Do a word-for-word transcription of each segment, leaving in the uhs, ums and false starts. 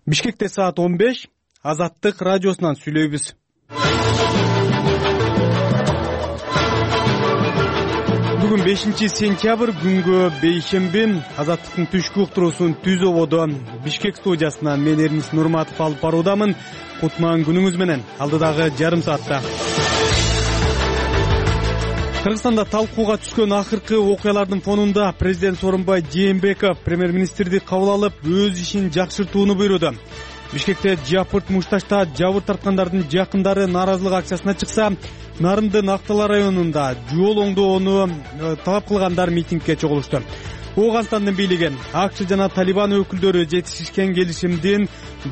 Бишкекте саат он беш, Азаттык радиосунан сүйлөйбүз. Бүгүн бешинчи сентябрь, күнгө бейшемби. Азаттыктын түшкү уктуруусун Түз ободо Бишкек студиясынан мен Эрнис Нурматов алып баруудамын. Кутман күнүңүз менен алдыдагы жарым саатта. Кыргызстанда талкууга түшкөн акыркы окуялардын фонунда президент Сооронбай Жээнбеков премьер-министрди кабыл алып, өз ишин жакшыртууну буйруду. Бишкекте Жапырт Мушташта жабыр тарткандардын жакындары нааразылык акциясына чыкса, Нарындын Актала районунда жол оңдоону талап кылгандар митингге чогулушту. Ооганстандын бийлиги АКШ жана Талибан өкүлдөрү жетишишкен келишимдин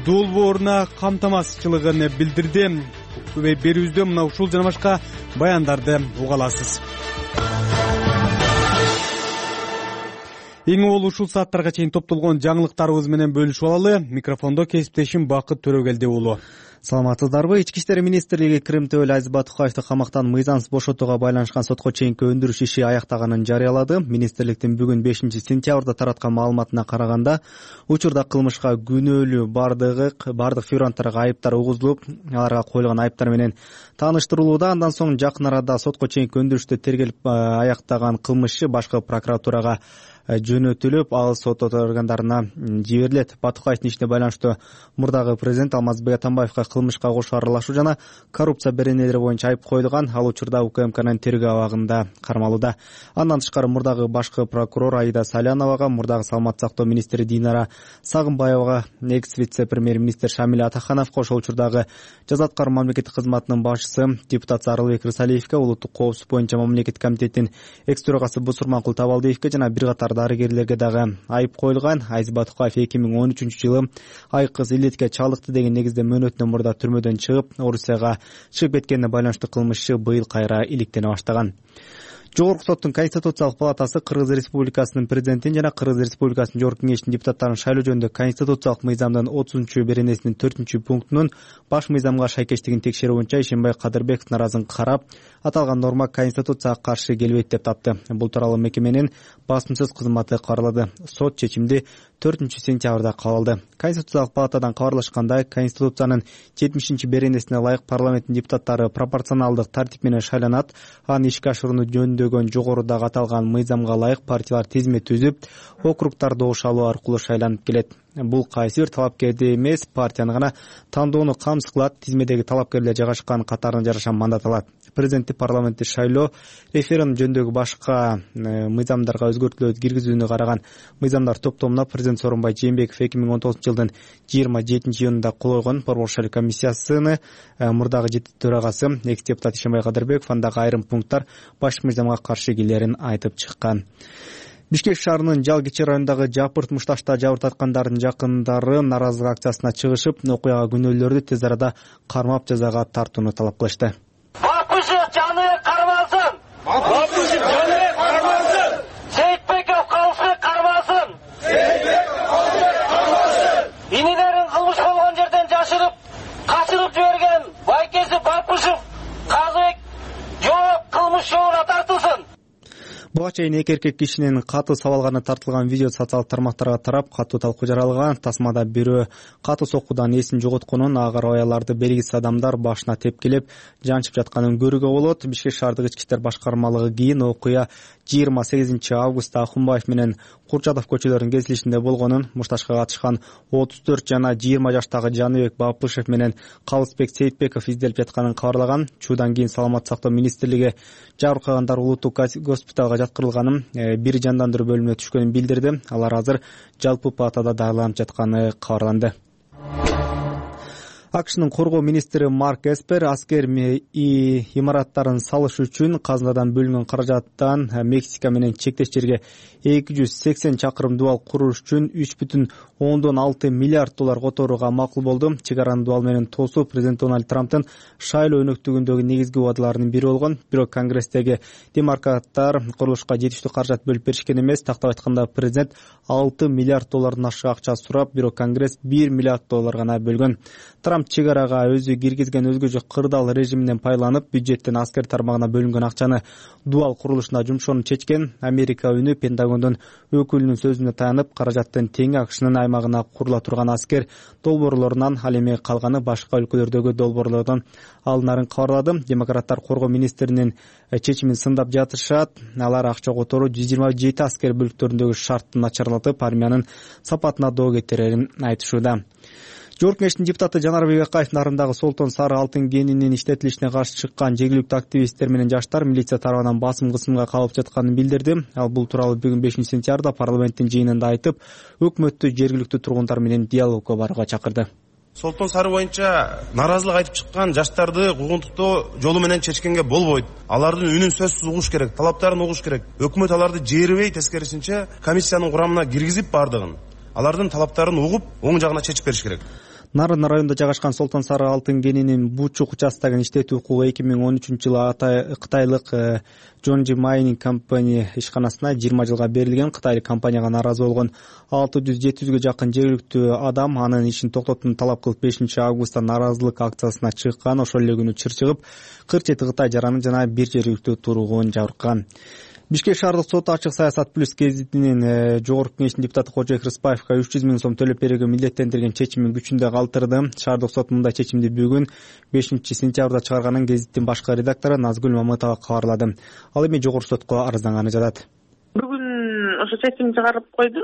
долбооруна камтамасызчылыгын билдирди. Берүүбүздө мына ушул жана башка баяндарды уга аласыз. Эң ол ушул сааттарга чейин топтолгон жаңылыктарыбыз менен бөлүшүп алалы. Микрофондо кесиптешим Бакыт Төрөгелди уулу. Саламатсыздарбы? Ички иштер министрлиги Крым Төөл Азиз Батукаевди камактан мыйзамсыз бошотууга байланышкан сотко чейинки өндүрүш иши аяктаганын жарыялады. Министрликтин бүгүн бешинчи сентябрда тараткан маалыматына караганда, учурда кылмышка күнөөлүү бардыгы бардык фигуранттарга айыптар угузулуп, аларга коюлган айыптар менен тааныштырылууда. Андан соң жакын арада сотко чейинки өндүрүштү тергелип аяктаган кылмышчы башкы прокуратурага жөнөтүлүп, ал сот органдарына жиберилет. Батукаевдин ишине байланыштуу мурдагы президент Алмазбек Атамбаевга кылмышка кошо аралашуу жана коррупция беренелери боюнча айып коюлган. Ал учурда УКМКнын тергөө абагында кармалууда. Андан тышкары мурдагы башкы прокурор Аида Саляновага, мурдагы саламаттык сактоо министри Динара Сагынбаевага, экс вице-премьер-министр Шамиль Атахановго, ошол учурдагы жаза аткаруу мамлекеттик кызматынын башчысы депутат Сарылбек Рысалиевге, улуттук коопсуздук боюнча мамлекеттик комитеттин экс төрагасы Бусурманкул Табалдиевге жана бир катар дарыгерлерге дагы айып коюлган. Азиз Батукаев эки миң он үчүнчү жылы айкыз илетке чалдыкты деген негизде мөөнөтүнөн мурда түрмөдөн чыгып, Орусияга чыгып кеткенине байланыштуу кылмышчы быйыл кайра иликтене баштаган. Жогорку соттун Конституциялык палатасы Кыргыз Республикасынын президентин жана Кыргыз Республикасынын Жогорку кеңешинин депутаттарын шайлоо жөнүндө Конституциялык мыйзамдын отузунчу беренесинин төртүнчү пунктунун баш мыйзамга шайкештигин текшерүү боюнча Ишенбай Кадырбековдун аразын карап, аталган норма Конституцияга каршы келбейт деп тапты. Бул тууралуу мекеменин басымсыз кызматы кабарлады. Сот чечимди төртүнчү сентябрда кабыл алды. Конституциялык палатадан кабарлашкандай, Конституциянын жетимишинчи беренесине ылайык парламенттин депутаттары пропорционалдык тартип менен шайланат. Аны ишке ашырууну жөндөгөн жогорудагы аталган мыйзамга ылайык партиялар тизме түзүп, округтар добуш алуу аркылуу шайланып келет. Бул кайсы бир талапкерди эмес, партияны гана тандоону камсыз кылат. Тизмедеги талапкерлер жайгашкан катарына жараша мандат алат. Президенттик парламенттик шайлоо, референдум жөнүндөгү башка мыйзамдарга өзгөртүүлөрдү киргизүүнү караган мыйзамдар топтомуна президент Сооронбай Жээнбеков эки миң он тогузунчу жылдын жыйырма жетинчи июнунда кол койгон. Борбор шайлоо комиссиясыны мурдагы жети төрагасы экс депутат Ишенбай Кадырбеков андагы айрым пункттар баш мыйзамга каршы келерин айтып чыккан. Бишкек шаарынын Жалгичи районундагы Жапырт Мушташта жабыр тарткандардын жакындары нааразылык акциясына чыгышып, окуяга күнөөлүүлөрдү тез арада кармап жазага тартууну талап кылышты. Бапышев жаны кармасын! Бапышев жаны кармасын! Сейитбеков калсы кармасын! Сейитбеков калсы кармасын! Инилерин кылмыш болгон жерден жашырып, качырып жиберген байкеси Бапышев казык жооп кылмыш жообуна тартылсын. Буга чейин эки эркек кишинин катуу сабалганы тартылган видео социалдык тармактарга тарап, катуу талкуу жаралган. Тасмада бирөө катуу соккудан эсин жоготконун, агар аяларды белгисиз адамдар башына тепкилеп жанчып жатканын көрүүгө болот. Бишкек шаардык ички иштер башкармалыгы кийин окуя жыйырма сегизинчи августта Ахунбаев менен Курчатов көчөлөрүнүн кесилишинде болгонун, мушташка катышкан отуз төрт жана жыйырма жаштагы Жаныбек Бапышев менен Калысбек Сейитбеков изделип жатканын кабарлаган. Чуудан кийин саламаттык сактоо министрлиги жабыркагандар улуттук госпиталга жаткырылганын, бир жандандыруу бөлүмүнө түшкөнүн билдирди. Алар азыр жалпы палатада дарыланып жатканы кабарланды. АКШнын коргоо министри Марк Эспер аскер имараттарын салыш үчүн казынадан бөлүнгөн каражаттан Мексика менен чектеш жерге эки жүз сексен чакырым дубал куруш үчүн үч бүтүн ондон алты миллиард доллар которууга макул болду. Чек араны дубал менен тосуу президент Дональд Трамптын шайлоо өнөктүгүндөгү негизги убадаларынын бири болгон. Бирок Конгресстеги демократтар курулушка жетиштүү каражат бөлүп беришкен эмес. Тактап айтканда, президент алты миллиард доллардан ашык акча сурап, бирок Конгресс бир миллиард доллар гана бөлгөн. Трамп Трамп чек арага өзү киргизген өзгөчө кырдаал режиминен пайдаланып бюджеттен аскер тармагына бөлүнгөн акчаны дубал курулушуна жумшоону чечкен. Америка үнү Пентагондун өкүлүнүн сөзүнө таянып, каражаттын тең акшнын аймагына курула турган аскер долбоорлорунан ал эми калганы башка өлкөлөрдөгү долбоорлордон алынарын кабарлады. Демократтар коргоо министринин чечимин сындап жатышат. Алар акча которуу жүз жыйырма жети аскер бөлүктөрүндөгү шартты начарлатып, армиянын сапатына доо кетирерин айтышууда. Жогорку Кеңештин депутаты Жанарбек Акаев нарындагы солтон сары алтын кенинин иштетилишине каршы чыккан жергиликтүү активисттер менен жаштар милиция тарабынан басым кысымга калып жатканын билдирди. Ал бул тууралуу бүгүн бешинчи сентябрда парламенттин жыйынында айтып, өкмөттү жергиликтүү тургундар менен диалогко барууга чакырды. Солтон сары боюнча нааразылык айтып чыккан жаштарды куугунтуктоо жолу менен чечкенге болбойт. Алардын үнүн сөзсүз угуш керек, талаптарын угуш керек. Өкмөт аларды жээрбей, тескерисинче комиссиянын курамына киргизип бардыгын, алардын талаптарын угуп, оң жагына чечип бериш керек. Нарын районунда жайгашкан солтон сары алтын кенинин Бучук участогун иштетүү укугу эки миң он үчүнчү жылы кытайлык Джонжи Майнинг компания ишканасына жыйырма жылга берилген. Кытайлык компанияга нааразы болгон алты жүз жети жүзгө жакын жергиликтүү адам анын ишин токтотууну талап кылып бешинчи августта нааразылык акциясына чыккан. Ошол эле күнү чыр чыгып, кырк жети Кытай жараны жана бир жергиликтүү тургун жабыркаган. Бишкек шаардык соту Ачык Саясат плюс гезитинин Жогорку Кеңештин депутаты Кожоек Рыспаевга үч жүз миң сом төлөп берүүгө милдеттендирген чечимин күчүндө калтырды. Шаардык сот мындай чечимди бүгүн бешинчи сентябрда чыгарганын гезиттин башкы редактору Назгүл Мамытова кабарлады. Ал эми жогорку сотко арызданганы жатат. Ошо чечим чыгарып койду.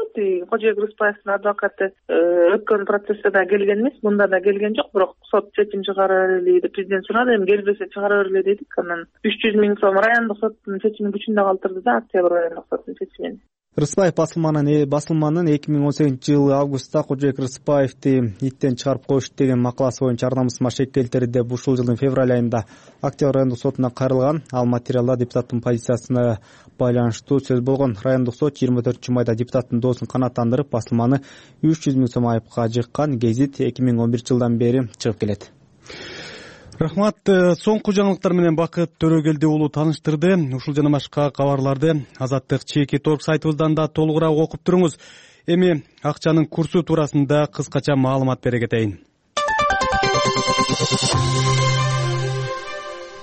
Кожоек Рыспаевдин адвокаты өткөн процессте да келген эмес, мында да келген жок, бирок сот чечим чыгара бери деп президент сурады. Эми келбесе чыгара бергиле дедик. Анан үч жүз миң сом райондук соттун чечимин күчүндө калтырды да, Октябрь райондук соттун чечимин. Рыспаев басылманын басылманын эки миң он сегизинчи жылы августта Кожоек Рыспаевди иттен чыгарып коюш деген макаласы боюнча ар намысыма шек келтирди деп ушул жылдын февраль айында Октябрь райондук сотуна кайрылган. Ал материалда депутаттын позициясына байланыштуу сөз болгон. Райондук сот жыйырма төртүнчү майда депутаттын доосун канааттандырып, басылманы үч жүз миң сом айыпка жыккан. Гезит эки миң он биринчи жылдан бери чыгып келет. Рахмат. Соңку жаңылыктар менен Бакыт Төрөгелди уулу тааныштырды. Ушул жана башка кабарларды Азаттык чеки торг сайтыбыздан да толугураак окуп туруңуз. Эми акчанын курсу туурасында кыскача маалымат бере кетейин.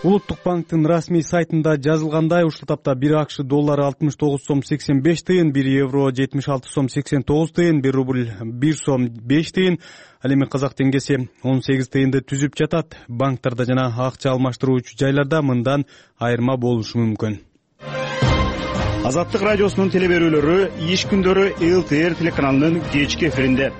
Улуттук банктын расмий сайтында жазылгандай, ушул тапта бир акш доллары алтымыш тогуз сом сексен беш тыйын, бир евро жетимиш алты сом сексен тогуз тыйын, бир рубль бир сом беш тыйын, ал эми казак теңгеси он сегиз тыйынды түзүп жатат. Банктарда жана акча алмаштыруучу жайларда мындан айырма болушу мүмкүн. Азаттык радиосунун теле берүүлөрү иш күндөрү эл тэ эр телеканалынын кечки эфиринде.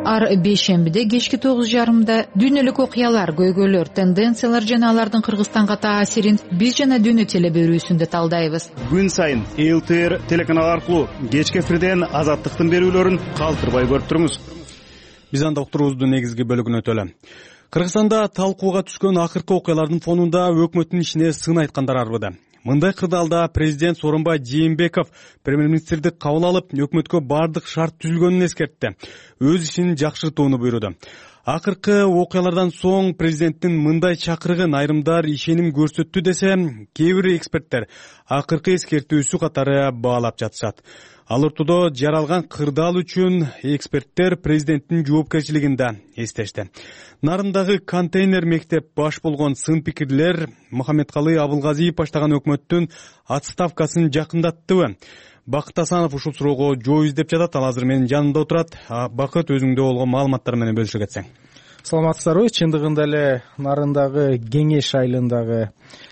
Ар бейшембиде кечки тогуз жарымда дүйнөлүк окуялар, көйгөйлөр, тенденциялар жана алардын Кыргызстанга таасирин биз жана дүйнө теле берүүсүндө талдайбыз. Күн сайын эл тэ эр телеканалы аркылуу кечки эфирден Азаттыктын берүүлөрүн калтырбай көрүп туруңуз. Биз анда уктуруубуздун негизги бөлүгүнө өтөлү. Кыргызстанда талкууга түшкөн акыркы окуялардын фонунда өкмөттүн ишине сын айткандар арбыды. Мындай кырдаалда президент Сооронбай Жээнбеков премьер-министрди кабыл алып, өкмөткө бардык шарт түзүлгөнүн эскертти. Өз ишин жакшыртууну буйруду. Акыркы окуялардан соң президенттин мындай чакырыгын айрымдар ишеним көрсөттү десе, кээ бир эксперттер акыркы эскертүүсү катары баалап жатышат. Ал ортодо жаралган кырдаал үчүн эксперттер президенттин жоопкерчилигин да эстешти. Нарындагы контейнер мектеп баш болгон сын пикирлер Мухаммедкалый Абылгазиев баштаган өкмөттүн отставкасын жакындаттыбы? Бакыт Асанов ушул суроого жооп издеп жатат. Ал азыр менин жанымда отурат. Бакыт, өзүңдө болгон маалыматтар менен бөлүшө кетсең. Саламатсыздарбы? Чындыгында эле Нарындагы Кеңеш айылындагы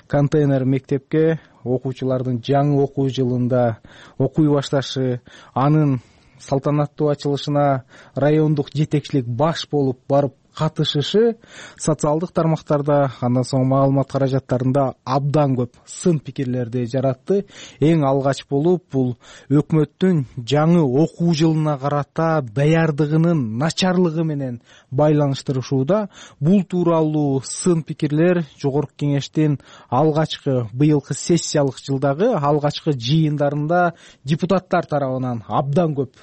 контейнер мектепке окуучулардын жаңы окуу жылында окуй башташы, анын салтанаттуу ачылышына райондук жетекчилик баш болуп барып катышышы социалдык тармактарда, андан соң маалымат каражаттарында абдан көп сын пикирлерди жаратты. Эң алгач болуп бул өкмөттүн жаңы окуу жылына карата даярдыгынын начарлыгы менен байланыштырышууда. Бул тууралуу сын пикирлер Жогорку Кеңештин алгачкы быйылкы сессиялык жылдагы алгачкы жыйындарында депутаттар тарабынан абдан көп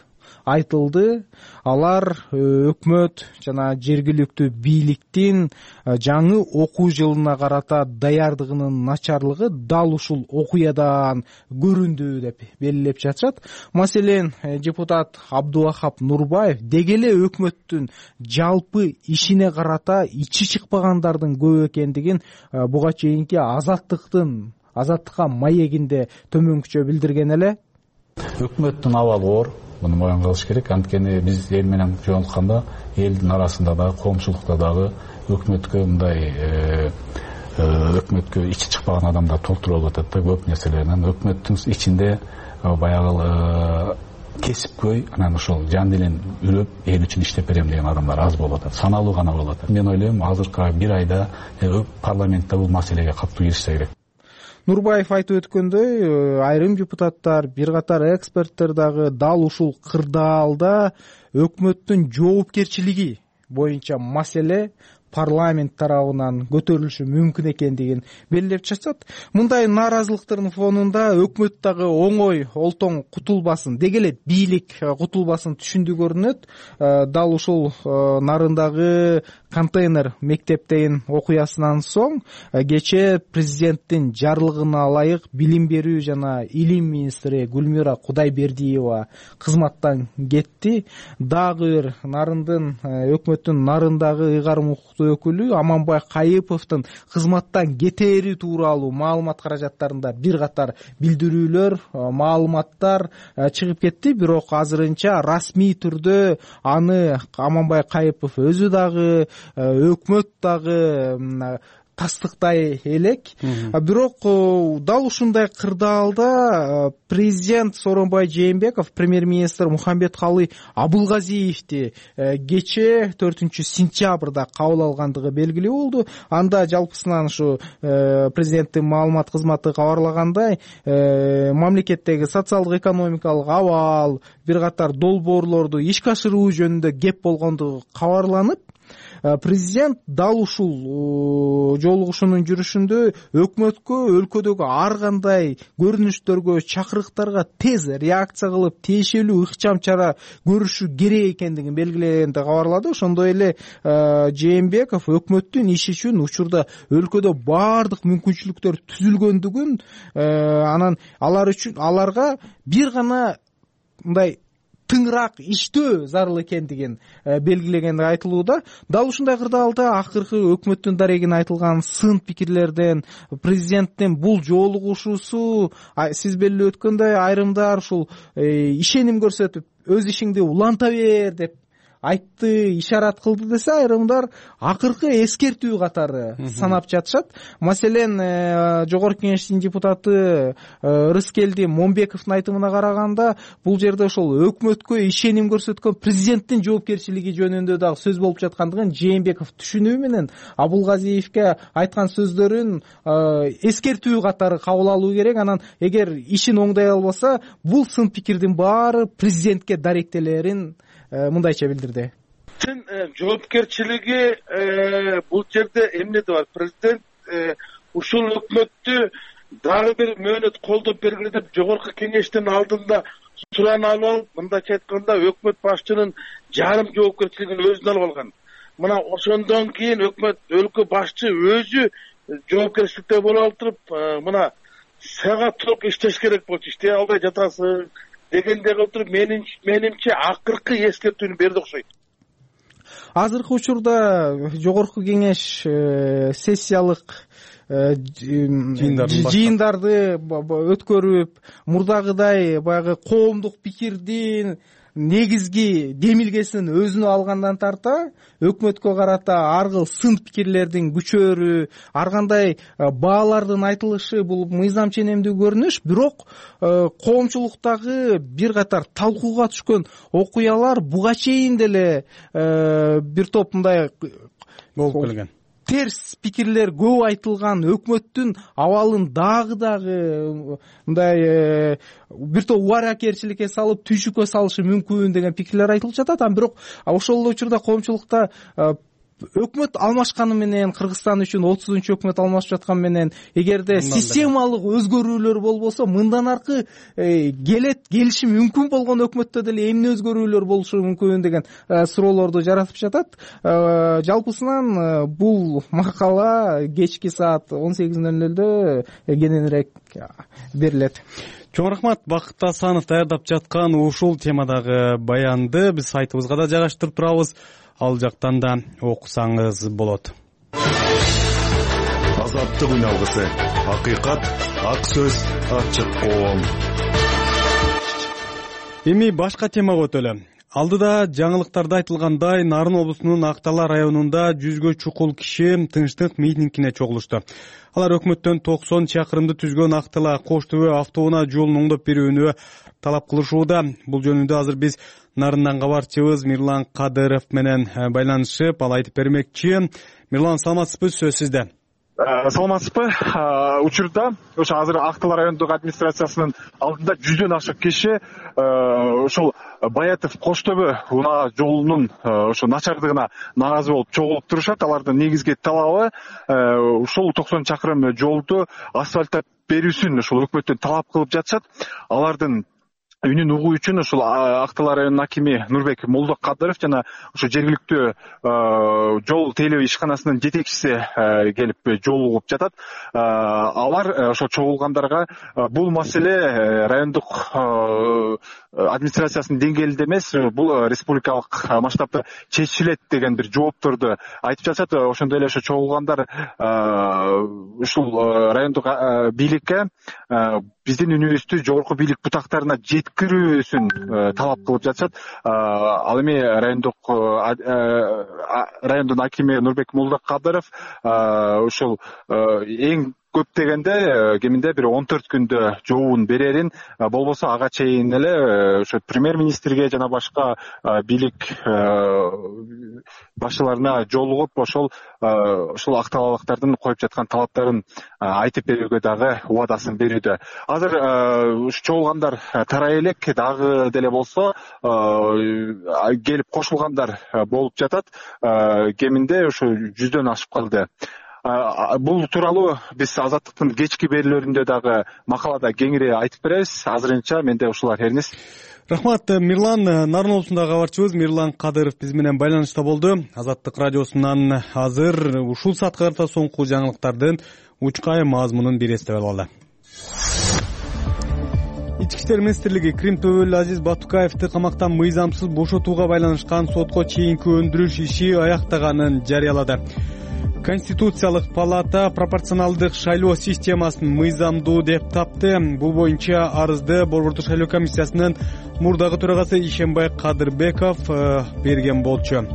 айтылды. Алар өкмөт жана жергиликтүү бийликтин жаңы окуу жылына карата даярдыгынын начарлыгы дал ушул окуядан көрүндү деп белгилеп жатышат. Маселен, депутат Абдувахап Нурбаев деги эле өкмөттүн жалпы ишине карата ичи чыкпагандардын көп экендигин буга чейинки азаттыктын азаттыкка маегинде төмөнкүчө билдирген эле. Өкмөттүн абалы оор, муну моюн кылыш керек. Анткени биз эл менен жолукканда элдин арасында дагы, коомчулукта дагы өкмөткө мындай өкмөткө ичи чыкпаган адамдар толтуруп алып атат да көп нерселерден. Өкмөттүн ичинде баягы кесипкөй, анан ошол жан делен үрөп эл үчүн иштеп берем деген адамдар аз болуп атат, саналуу гана болуп атат. Мен ойлойм, азыркы бир айда парламентте бул маселеге катуу киришсе керек. Нурбаев айтып өткөндөй, айрым депутаттар, бир катар эксперттер дагы дал ушул кырдаалда өкмөттүн жоопкерчилиги боюнча маселе парламент тарабынан көтөрүлүшү мүмкүн экендигин белгилеп жатышат. Мындай нааразылыктардын фонунда өкмөт дагы оңой олтоң кутулбасын, деги эле бийлик кутулбасын түшүндү көрүнөт. Дал ушул нарындагы контейнер мектептейин окуясынан соң кечээ президенттин жарлыгына ылайык билим берүү жана илим министри Гүлмира Кудайбердиева кызматтан кетти. Дагы бир нарындын өкмөттүн нарындагы ыйгарым укуктуу өкүлү Аманбай Кайыповдун кызматтан кетери тууралуу маалымат каражаттарында бир катар билдирүүлөр, маалыматтар чыгып кетти. Бирок азырынча расмий түрдө аны Аманбай Кайыпов өзү дагы, өкмөт дагы тастыктай элек. Бирок дал ушундай кырдаалда президент Сооронбай Жээнбеков премьер-министр Мухамбеткалы Абылгазиевди кечээ төртүнчү сентябрда кабыл алгандыгы белгилүү болду. Анда жалпысынан ушу президенттин маалымат кызматы кабарлагандай, мамлекеттеги социалдык экономикалык абал, бир катар долбоорлорду ишке ашыруу жөнүндө кеп болгондугу кабарланып, президент дал ушул жолугушуунун жүрүшүндө өкмөткө өлкөдөгү ар кандай көрүнүштөргө, чакырыктарга тез реакция кылып, тиешелүү ыкчам чара көрүшү керек экендигин белгилегенди кабарлады. Ошондой эле Жээнбеков өкмөттүн иши үчүн учурда өлкөдө баардык мүмкүнчүлүктөр түзүлгөндүгүн, анан алар үчүн аларга бир гана мындай тыңыраак иштөө зарыл экендигин белгилегенди айтылууда. Дал ушундай кырдаалда акыркы өкмөттүн дарегине айтылган сын пикирлерден президенттин бул жолугушуусу сиз белгилеп өткөндөй айрымдар ушул ишеним көрсөтүп өз ишиңди уланта бер деп айтты, ишарат кылды десе, айрымдар акыркы эскертүү катары санап жатышат. Маселен, Жогорку Кеңештин депутаты Рыскелди Момбековдун айтымына караганда, бул жерде ошол өкмөткө ишеним көрсөткөн президенттин жоопкерчилиги жөнүндө дагы сөз болуп жаткандыгын Жээнбеков түшүнүү менен Абылгазиевке айткан сөздөрүн эскертүү катары кабыл алуу керек. Анан эгер ишин оңдой албаса, бул сын пикирдин баары президентке даректелерин мындайча билдирди. Жоопкерчилиги бул жерде эмнеде бар? Президент ушул өкмөттү дагы бир мөөнөт колдоп бергиле деп Жогорку Кеңештин алдында суран алып алып, мындайча айтканда өкмөт башчынын жарым жоопкерчилигин өзүнө алып алган. Мына ошондон кийин өкмөт өлкө башчы өзү жоопкерчиликте боло отуруп, мына сага туруп иштеш керек болчу, иштей албай жатасың дегенде отуруп, менимче акыркы эскертүүнү берди окшойт. Азыркы учурда Жогорку Кеңеш сессиялык жыйындарды өткөрүп, мурдагыдай баягы коомдук пикирдин негизги демилгесин өзүнө алгандан тарта өкмөткө карата ар кыл сын пикирлердин күчөрү, ар кандай баалардын айтылышы бул мыйзам ченемдүү көрүнүш. Бирок коомчулуктагы бир катар талкууга түшкөн окуялар буга чейин деле бир топ мындай болуп келген. Терс пикирлер көп айтылган, өкмөттүн абалын дагы дагы мындай бир топ убаракерчиликке салып, түйшүккө салышы мүмкүн деген пикирлер айтылып жатат. Анан бирок ошол эле учурда коомчулукта өкмөт алмашканы менен, Кыргызстан үчүн отузунчу өкмөт алмашып жаткан менен, эгерде системалык өзгөрүүлөр болбосо, мындан аркы келет, келиши мүмкүн болгон өкмөттө деле эмне өзгөрүүлөр болушу мүмкүн деген суроолорду жаратып жатат. Жалпысынан бул макала кечки саат он сегиз ноль нолдо кененирээк берилет. Чоң рахмат, Бакыт Асанов даярдап жаткан ушул темадагы баянды биз сайтыбызга да жайгаштырып турабыз. Ал жактан да окусаңыз болот. Азаттык үналгысы, акыйкат, ак сөз, ачык коом. Эми башка темага өтөлү. Алдыда жаңылыктарда айтылгандай, Нарын облусунун Актала районунда жүзгө чукул киши тынчтык митингине чогулушту. Алар өкмөттөн токсон чакырымды түзгөн Актала Кош Төбө автоунаа жолун оңдоп берүүнү талап кылышууда. Бул жөнүндө азыр биз Нарындан кабарчыбыз Мирлан Кадыров менен байланышып, ал айтып бермекчи. Мирлан, саламатсызбы? Сөз сизде. Саламатсызбы? Учурда ошо азыр Актала райондук администрациясынын алдында жүздөн ашык киши ошол Баятов Кош Төбө унаа жолунун ошо начардыгына нааразы болуп чогулуп турушат. Алардын негизги талабы ушул токсон чакырым жолду асфальттап берүүсүн ошол өкмөттөн талап кылып жатышат. Алардын үнүн угуу үчүн ушул Актала районунун акими Нурбек Молдокадыров жана ошо жергиликтүү жол тейлөө ишканасынын жетекчиси келип жолугуп жатат. Алар ошо чогулгандарга бул маселе райондук администрациясынын деңгээлинде эмес, бул республикалык масштабта чечилет деген бир жоопторду айтып жатышат. Ошондой эле ошо чогулгандар ушул райондук бийликке биздин үнүбүздү жогорку бийлик бутактарына жеткирүүсүн талап кылып жатышат. Ал эми райондук райондун акими Нурбек Молдокадыров ушул эң көп дегенде кеминде бир он төрт күндө жообун берерин, болбосо ага чейин эле ошо премьер-министрге жана башка бийлик башчыларына жолугуп, ошол ошол акталалыктардын коюп жаткан талаптарын айтып берүүгө дагы убадасын берүүдө. Азыр чогулгандар тарай элек, дагы деле болсо келип кошулгандар болуп жатат. Кеминде ошо жүздөн ашып калды. Бул тууралуу биз Азаттыктын кечки берүүлөрүндө дагы макалада кеңири айтып беребиз. Азырынча менде ушулар эрниз. Рахмат, Мирлан. Нарын облусундагы кабарчыбыз Мирлан Кадыров биз менен байланышта болду. Азаттык радиосунан азыр ушул саатка карата соңку жаңылыктардын учкай мазмунун бир эстеп алалы. Ички иштер министрлиги Крим Төбөлү Азиз Батукаевди камактан мыйзамсыз бошотууга байланышкан сотко чейинки өндүрүш иши аяктаганын жарыялады. Конституциялык палата пропорционалдык шайлоо системасын мыйзамдуу деп тапты. Бул боюнча арызды Борбордук шайлоо комиссиясынын мурдагы төрагасы Ишенбай Кадырбеков берген болчу.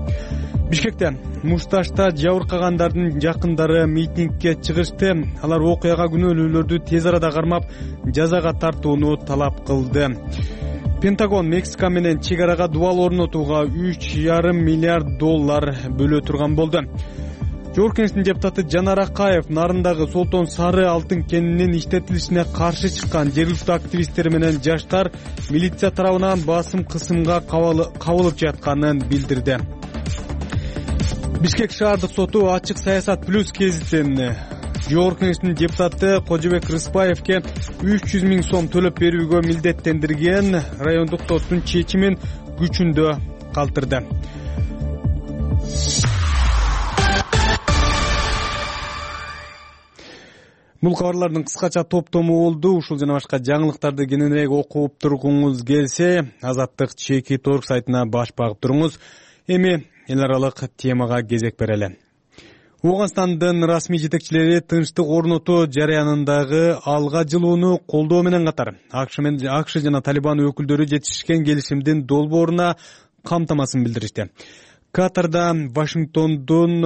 Бишкекте Мушташта жабыркагандардын жакындары митингге чыгышты. Алар окуяга күнөөлүүлөрдү тез арада кармап, жазага тартууну талап кылды. Пентагон Мексика менен чек арага дубал орнотууга үч жарым миллиард доллар бөлө турган болду. Жогорку Кеңештин депутаты Жанар Акаев Нарындагы Солтон Сары алтын кенинин иштетилишине каршы чыккан жергиликтүү активисттер менен жаштар милиция тарабынан басым кысымга кабылып жатканын билдирди. Бишкек шаардык соту Ачык саясат плюс гезитин Жогорку Кеңештин депутаты Кожобек Рыспаевке үч жүз миң сом төлөп берүүгө милдеттендирген райондук соттун чечимин күчүндө калтырды. Бул кабарлардын кыскача топтому болду. Ушул жана башка жаңылыктарды кененирээк окуп тургуңуз келсе, Азаттык чеки торг сайтына баш багып туруңуз. Эми эл аралык темага кезек берели. Ооганстандын расмий жетекчилери тынчтык орнотуу жарыянындагы алга жылууну колдоо менен катар АКШ жана Талибан өкүлдөрү жетишкен келишимдин долбооруна камтамасын билдиришти. Катарда Вашингтондун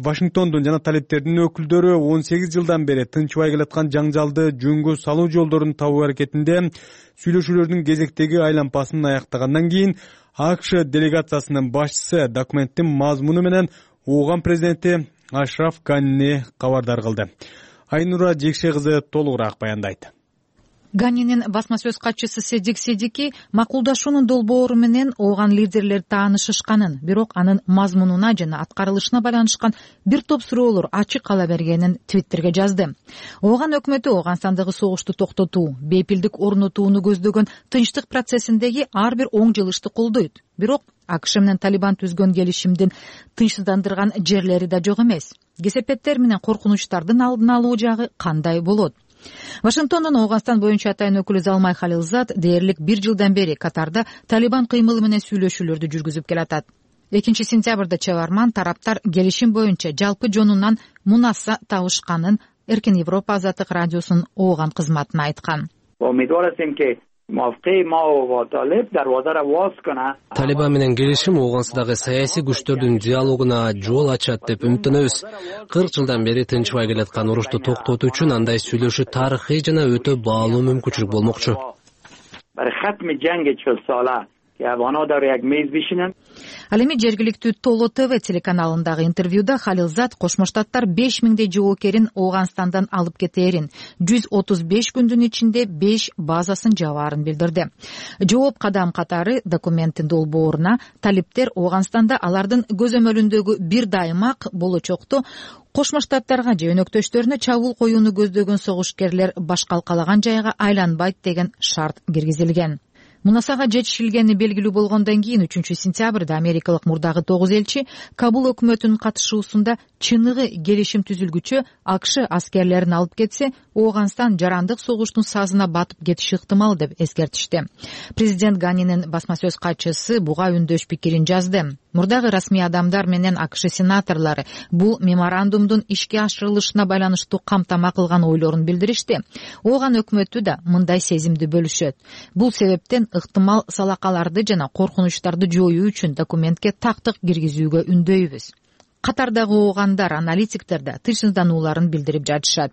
Вашингтондун жана талиптердин өкүлдөрү он сегиз жылдан бери тынчбай келаткан жаңжалды жөнгө салуу жолдорун табуу аракетинде сүйлөшүүлөрдүн кезектеги айлампасын аяктагандан кийин АКШ делегациясынын башчысы документтин мазмуну менен Ооган президенти Ашраф Ганини кабардар кылды. Айнура Жекше кызы толугураак баяндайт. Ганинин басма сөз катчысы Седик Седики макулдашуунун долбоору менен ооган лидерлер таанышышканын, бирок анын мазмунуна жана аткарылышына байланышкан бир топ суроолор ачык кала бергенин Твиттерге жазды. Ооган өкмөтү Ооганстандагы согушту токтотуу, бейпилдик орнотууну көздөгөн тынчтык процессиндеги ар бир оң жылышты колдойт. Бирок АКШ менен Талибан түзгөн келишимдин тынчсыздандырган жерлери да жок эмес. Кесепеттер менен коркунучтардын алдын алуу жагы кандай болот? Вашингтондон Ооганстан боюнча атайын өкүлү Залмай Халилзад дээрлик бир жылдан бери Катарда Талибан кыймылы менен сүйлөшүүлөрдү жүргүзүп келатат. экинчи сентябрда чыгарман тараптар келишим боюнча жалпы жонунан мунаса табышканын Эркин Европа азаттык радиосунун Ооган кызматына айткан. Талибан менен келишим Ооганстандагы саясий күчтөрдүн диалогуна жол ачат деп үмүттөнөбүз. кырк жылдан бери тынчбай келаткан урушту токтотуу үчүн андай сүйлөшүү тарыхый жана өтө баалуу мүмкүнчүлүк болмокчу. Ал эми жергиликтүү Толо ТВ телеканалындагы интервьюда Халилзад Кошмо Штаттар беш миңдей жоокерин Ооганстандан алып кетээрин, жүз отуз беш күндүн ичинде беш базасын жабаарын билдирди. Жооп кадам катары документтин долбооруна талиптер Ооганстанда алардын көзөмөлүндөгү бир даймак болочокто Кошмо Штаттарга же өнөктөштөрүнө чабуул коюуну көздөгөн согушкерлер башкалкалаган жайга айланбайт деген шарт киргизилген. Мунасага жетишилгени белгилүү болгондон кийин үчүнчү сентябрда америкалык мурдагы тогуз элчи Кабул өкмөтүнүн катышуусунда чыныгы келишим түзүлгүчө АКШ аскерлерин алып кетсе, Ооганстан жарандык согуштун сазына батып кетиши ыктымал деп эскертишти. Президент Ганинин басма сөз катчысы буга үндөш пикирин жазды. Мурдагы расмий адамдар менен АКШ сенаторлору бул меморандумдун ишке ашырылышына байланыштуу камтама кылган ойлорун билдиришти. Ооган өкмөтү да мындай сезимди бөлүшөт. Бул себептен ыктымал салакаларды жана коркунучтарды жоюу үчүн документке тактык киргизүүгө үндөйбүз. Катардагы оогандар, аналитиктер да тынчсызданууларын билдирип жатышат.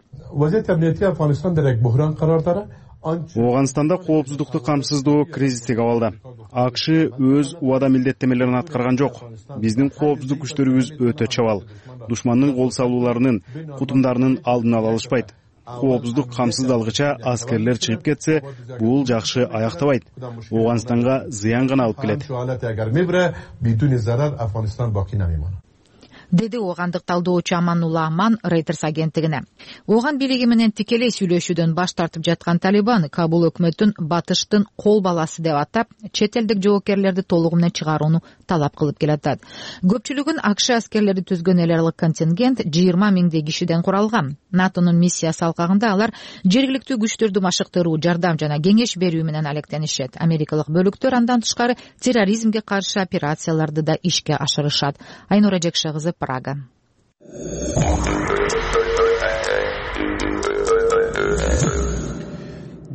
Ооганстанда коопсуздукту камсыздоо кризистик абалда. АКШ өз убада милдеттемелерин аткарган жок. Биздин коопсуздук күчтөрүбүз өтө чабал. Душмандын кол салууларынын, кутумдарынын алдын ала алышпайт. Коопсуздук камсыздалгыча аскерлер чыгып кетсе, бул жакшы аяктабайт. Ооганстанга зыян гана алып келет. Деди оогандык талдоочу Аманулла Аман Reuters агенттигине. Ооган бийлиги менен тикелей сүйлөшүүдөн баш тартып жаткан Талибан Кабул өкмөтүн батыштын кол баласы деп атап, чет элдик жоокерлерди толугу менен чыгарууну талап кылып келатат. Көпчүлүгүн АКШ аскерлери түзгөн эл аралык контингент жыйырма миңдей кишиден куралган. НАТОнун миссиясы алкагында алар жергиликтүү күчтөрдү машыктыруу, жардам жана кеңеш берүү менен алектенишет. Америкалык бөлүктөр андан тышкары терроризмге каршы операцияларды да ишке ашырышат. Айнура Жекше кызы, Прага.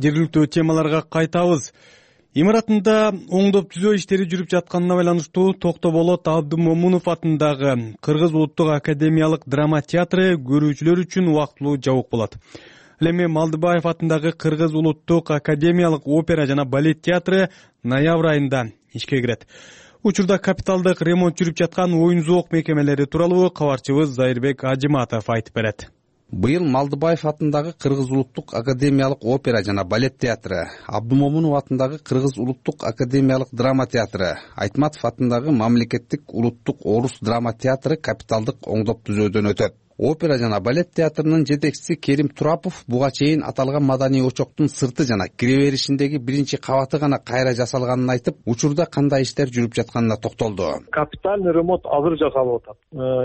Жергиликтүү темаларга кайтабыз. Имаратында оңдоп түзөө иштери жүрүп жатканына байланыштуу Токтоболот Абдымомунов атындагы Кыргыз улуттук академиялык драма театры көрүүчүлөр үчүн убактылуу жабык болот. Ал эми Малдыбаев атындагы Кыргыз улуттук академиялык опера жана балет театры ноябрь айында ишке кирет. Учурда капиталдык ремонт жүрүп жаткан оюн зоок мекемелери тууралуу кабарчыбыз Зайырбек Ажиматов айтып берет. Быйыл Малдыбаев атындагы Кыргыз улуттук академиялык опера жана балет театры, Абдымомунов атындагы Кыргыз улуттук академиялык драма театры, Айтматов атындагы Мамлекеттик улуттук орус драма театры капиталдык оңдоп түзөөдөн өтөт. Опера жана балет театрынын жетекчиси Керим Турапов буга чейин аталган маданий очоктун сырты жана кире беришиндеги биринчи кабаты гана кайра жасалганын айтып, учурда кандай иштер жүрүп жатканына токтолду. Капитальный ремонт азыр жасалып атат.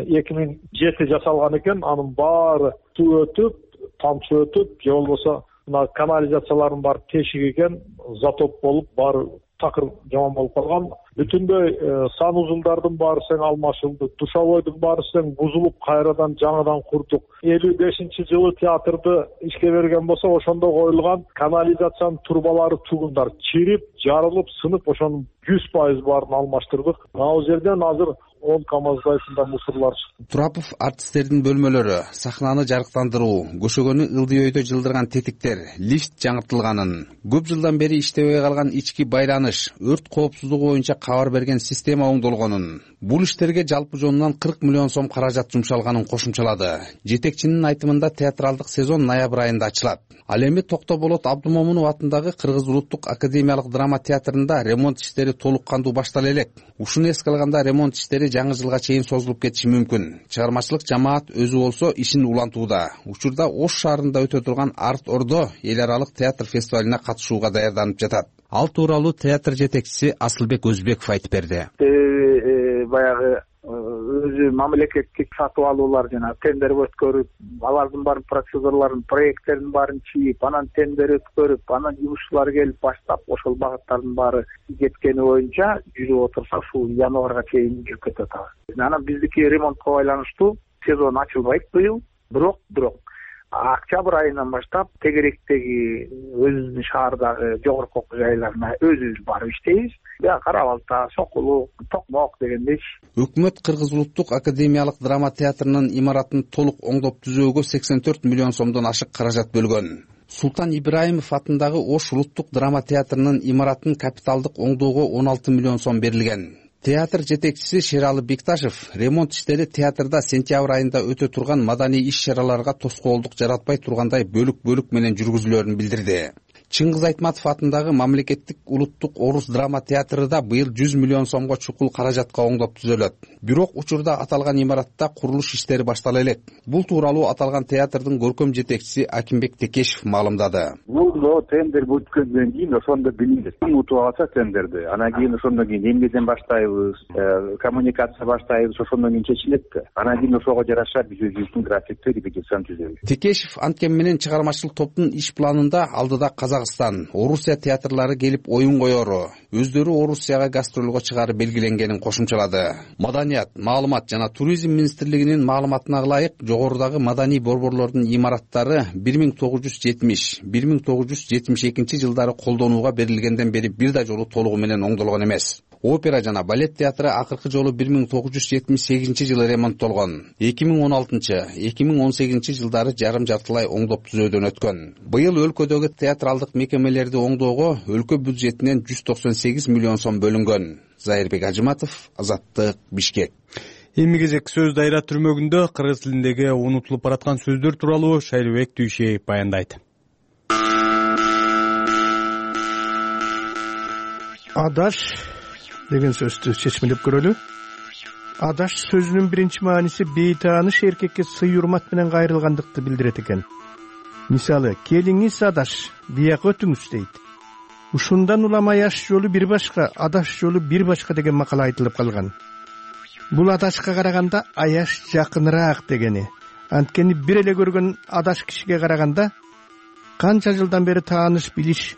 эки миң жети жасалган экен, анын баары суу өтүп, тамчы өтүп, же болбосо мына канализациялардын баары тешик экен, затоп болуп, баары такыр жаман болуп калган. Бүтүндөй санузулдардын баары тең алмашылды, душовойдун баары тең бузулуп, кайрадан жаңыдан курдук. элүү бешинчи жылы театрды ишке берген болсо, ошондо коюлган канализациянын турбалары тугундар чирип, жарылып, сынып, ошонун жүз пайыз баарын алмаштырдык. Ал жерден азыр он камаздайсында мусорлар чыкты. Турапов артисттердин бөлмөлөрү, сахнаны жарыктандыруу, көшөгөнү ылдый өйдө жылдырган тетиктер, лифт жаңыртылганын, көп жылдан бери иштебей калган ички байланыш, өрт коопсуздугу боюнча кабар берген система оңдолгонун, Бул иштерге жалпы жонунан кырк миллион сом каражат жумшалганын кошумчалады. Жетекчинин айтымында театралдык сезон ноябрь айында ачылат. Ал эми Токтоболот Абдымомунов атындагы Кыргыз улуттук академиялык драма театрында ремонт иштери толук кандуу баштала элек. Ушуну эске алганда ремонт иштери жаңы жылга чейин созулуп кетиши мүмкүн. Чыгармачылык жамаат өзү болсо ишин улантууда. Учурда Ош шаарында өтө турган Арт Ордо эл аралык театр фестивалине катышууга даярданып жатат. Ал тууралуу театр жетекчиси Асылбек Өзбеков айтып берди. Баягы өзү мамлекеттик сатып алуулар жана тендер өткөрүп, алардын баарын процедураларын, проекттердин баарын чийип, анан тендер өткөрүп, анан жумушчулар келип баштап, ошол багыттардын баары кеткени боюнча жүрүп отурса, ушул январга чейин жүрүп кетип атат. Анан биздики ремонтко байланыштуу сезон ачылбайт быйыл, бирок бирок октябрь айынан баштап тегеректеги өзүбүздүн шаардагы жогорку окуу жайларына өзүбүз барып иштейбиз. Кара Балта, Сокулук, Токмок дегендей. Өкмөт Кыргыз улуттук академиялык драма театрынын имаратын толук оңдоп түзөөгө сексен төрт миллион сомдон ашык каражат бөлгөн. Султан Ибраимов атындагы Ош улуттук драма театрынын имаратын капиталдык оңдоого он алты миллион сом берилген. Театр жетекчиси Шералы Бекташев ремонт иштери театрда сентябрь айында өтө турган маданий иш-чараларга тоскоолдук жаратпай тургандай бөлүк-бөлүк менен жүргүзүлөрүн билдирди. Чыңгыз Айтматов атындагы Мамлекеттик улуттук орус драма театры да быйыл жүз миллион сомго чукул каражатка оңдоп түзөлөт. Бирок учурда аталган имаратта курулуш иштери баштала элек. Бул тууралуу аталган театрдын көркөм жетекчиси Акимбек Текешев маалымдады. Бул тендер өткөндөн кийин ошондо билинет. Утуп алса тендерди, анан кийин ошондон кийин эмнеден баштайбыз, коммуникация баштайбыз, ошондон кийин чечилет да. Анан кийин ошого жараша биз өзүбүздүн графикти репетицияны түзөбүз. Текешев анткени менен чыгармачылык топтун иш планында алдыда Казакстан, Орусия театрлары келип оюн коеру, өздөрү Орусияга гастролго чыгаары белгиленгенин кошумчалады. Маданият, маалымат жана туризм министрлигинин маалыматына ылайык, жогорудагы маданий борборлордун имараттары бир миң тогуз жүз жетимиш — бир миң тогуз жүз жетимиш экинчи жылдары колдонууга берилгенден бери бир да жолу толугу менен оңдолгон эмес. Опера жана балет театры акыркы жолу бир миң тогуз жүз жетимиш сегизинчи жылы ремонттолгон. эки миң он алтынчы — эки миң он сегизинчи жылдары жарым жартылай оңдоп түзөөдөн өткөн. Быйыл өлкөдөгү театралдык мекемелерди оңдоого өлкө бюджетинен жүз токсон сегиз миллион сом бөлүнгөн. Зайырбек Ажыматов, Азаттык, Бишкек. Эми кезек сөз дайра түрмөгүндө кыргыз тилиндеги унутулуп бараткан сөздөр тууралуу Шайлыбек Түйшеев баяндайт. Адаш деген сөздү чечмелеп көрөлү. Адаш сөзүнүн биринчи мааниси бейтааныш эркекке сый урмат менен кайрылгандыкты билдирет экен. Мисалы, келиңиз адаш, бияка өтүңүз дейт. Ушундан улам аяш жолу бир башка, адаш жолу бир башка деген макал айтылып калган. Бул адашка караганда аяш жакыныраак дегени. Анткени бир эле көргөн адаш кишиге караганда канча жылдан бери тааныш билиш,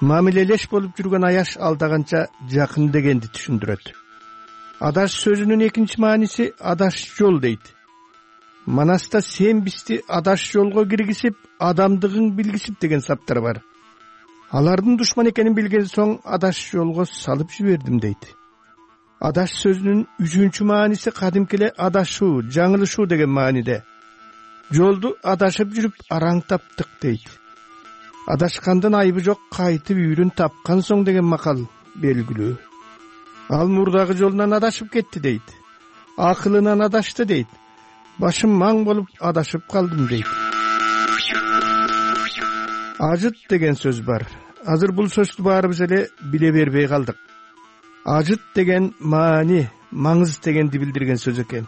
мамилелеш болуп жүргөн аяш алдаганча жакын дегенди түшүндүрөт. Адаш сөзүнүн экинчи мааниси адаш жол дейт. Манаста сен бизди адаш жолго киргизип, адамдыгың билгизип деген саптар бар. Алардын душман экенин билген соң адаш жолго салып жибердим дейт. Адаш сөзүнүн үчүнчү мааниси кадимки эле адашуу, жаңылышуу деген мааниде. Жолду адашып жүрүп араң таптык дейт. Адашкандын айыбы жок, кайтып үйрүн тапкан соң деген макал белгилүү. Ал мурдагы жолунан адашып кетти дейт. Акылынан адашты дейт. Башым маң болуп адашып калдым дейт. Ажыт деген сөз бар. Азыр бул сөздү баарыбыз эле биле бербей калдык. Ажыт деген маани, маңыз дегенди билдирген сөз экен.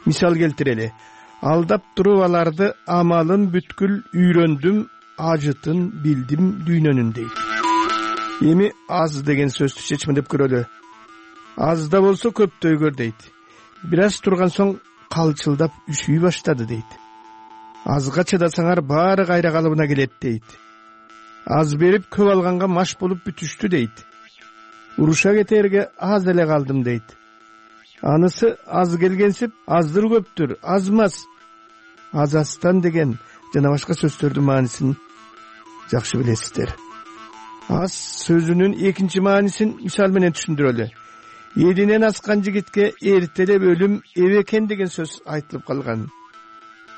Мисал келтирели. Алдап туруп аларды амалын бүткүл үйрөндүм, ажытын билдим дүйнөнүн дейт. Эми аз деген сөздү чечмелеп көрөлү. Азда болсо көптөйгөр дейт. Бир аз турган соң калчылдап үшүй баштады дейт. Азга чыдасаңар баары кайра калыбына келет дейт. Аз берип көп алганга маш болуп бүтүштү дейт. Уруша кетерге аз эле калдым дейт. Анысы аз келгенсип, аздыр көптүр, азмас. Азастан деген жана башка сөздөрдүн маанисин жакшы билесиздер. Аз сөзүнүн экинчи маанисин мисал менен түшүндүрөлү. Элинен аскан жигитке эртелеп өлүм эбекен деген сөз айтылып калган.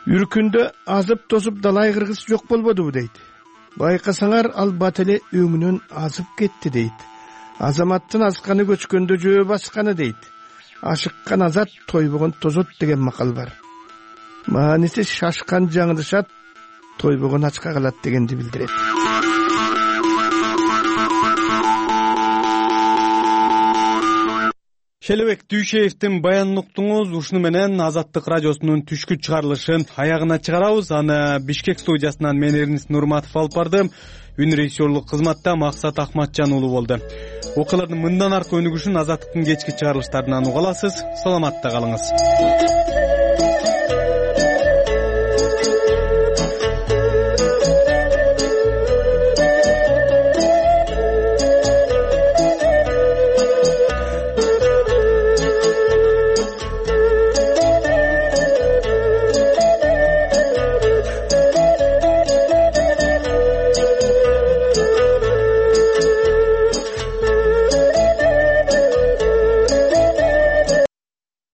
Үркүндө азып тосуп далай кыргыз жок болбодубу дейт. Байкасаңар ал бат эле өңүнөн азып кетти дейт. Азаматтын асканы көчкөндө жөө басканы дейт. ашыккан азат тойбогон тозот деген макал бар. Мааниси шашкан жаңылышат, тойбогон ачка калат дегенди билдирет. Шелебек Дүйшеевдин баянын уктуңуз. Ушуну менен Азаттык радиосунун түшкү чыгарылышын аягына чыгарабыз. Аны Бишкек студиясынан мен Эрнис Нурматов алып бардым. Үн режиссерлук кызматта Максат Ахматжан уулу болду. Окуялардын мындан аркы өнүгүшүн Азаттыктын кечки чыгарылыштарынан уга аласыз. Саламатта калыңыз.